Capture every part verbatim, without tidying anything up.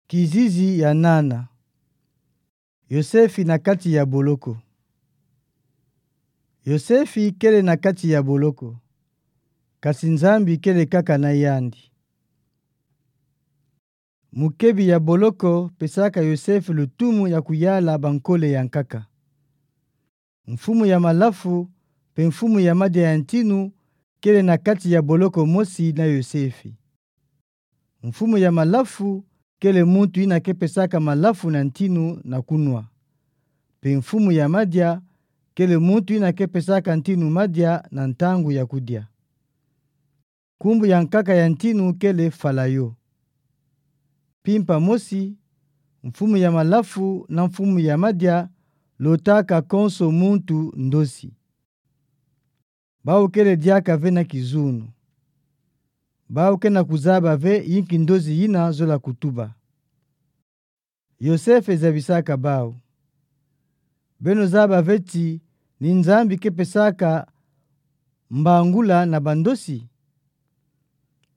Kizizi ya nana. Yosefi na kati ya boloko. Yosefi kele na kati ya boloko, kasi Nzambi kele kaka na yandi. Mukebi ya boloko pesaka Yosefi lutumu ya kuyala bankole ya nkaka. Mfumu ya malafu mpe mfumu ya madia ya ntinu kele na kati ya boloko mosi na Yosefi. Mfumu ya malafu kele muntu yina ke pesaka malafu na ntinu na kunwa. Mpe mfumu ya madia kele muntu yina ke pesaka ntinu madia na ntangu ya kudia. Nkumbu ya nkaka ya ntinu kele Falayo. Mpimpa mosi, mfumu ya malafu na mfumu ya madia lotaka konso muntu ndosi. Bawu kele diaka ve na kizunu. Bawu ke na kuzaba ve yinki ndosi yina zola kutuba. Yosefi zabisaka bawu: Beno zaba ve ti ni Nzambi ke pesaka mbangula na bandosi?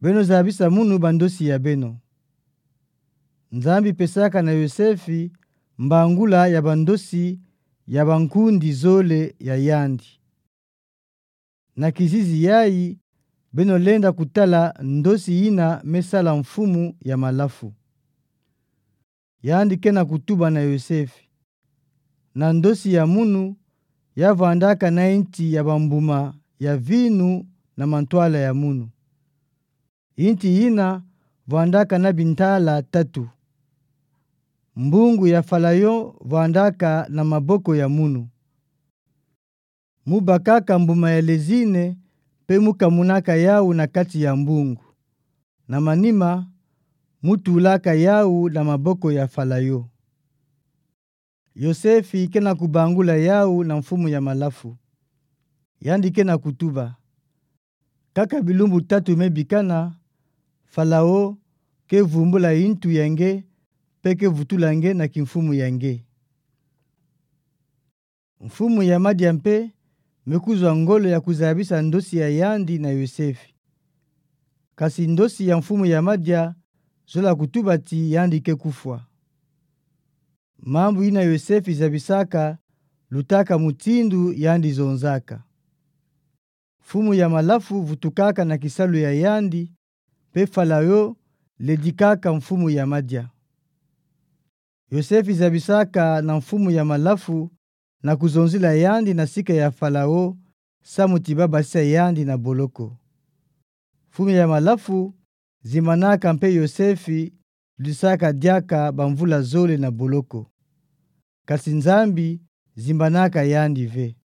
Beno zabisa munu bandosi ya beno. Nzambi pesaka na Yosefi mbangula ya bandosi ya bankundi zole ya yandi. Na kizizi yayi, beno lenda kutala ndosi yina me sala mfumu ya malafu. Yandi ke na kutuba na Yosefi: Na ndosi ya munu, ya vwandaka na inti ya bambuma ya vinu na mantwala ya munu. Inti yina vwandaka na bintala tatu. Mbungu ya Falayo vwandaka na maboko ya munu. Mu bakaka mbuma ya lezine, mpe mu kamunaka yawu na kati ya mbungu. Na manima, mu tulaka yawu na maboko ya Falayo. Yosefi ke na kubangula yawu na mfumu ya malafu. Yandi ke na kutuba: Kaka bilumbu tatu me bikana, Falao ke vumbula yintu ya nge, mpe ke vutula nge na kimfumu ya nge. Mfumu ya madia mpe me kuzwa ngolo ya kuzabisa ndosi ya yandi na Yosefi. Kasi ndosi ya mfumu ya madia zola kutuba ti yandi ke kufwa. Mambu yina Yosefi zabisaka lutaka mutindu yandi zonzaka. Mfumu ya malafu vutukaka na kisalu ya yandi, mpe Falao ledikaka mfumu ya madia. Yosefi zabisaka na mfumu ya malafu na kuzonzila yandi na sika ya Falao, samu ti ba basisa yandi na boloko. Mfumu ya malafu zimbanaka mpe Yosefi lutisaka diaka bamvula zole na boloko. Kasi Nzambi zimbanaka yandi ve.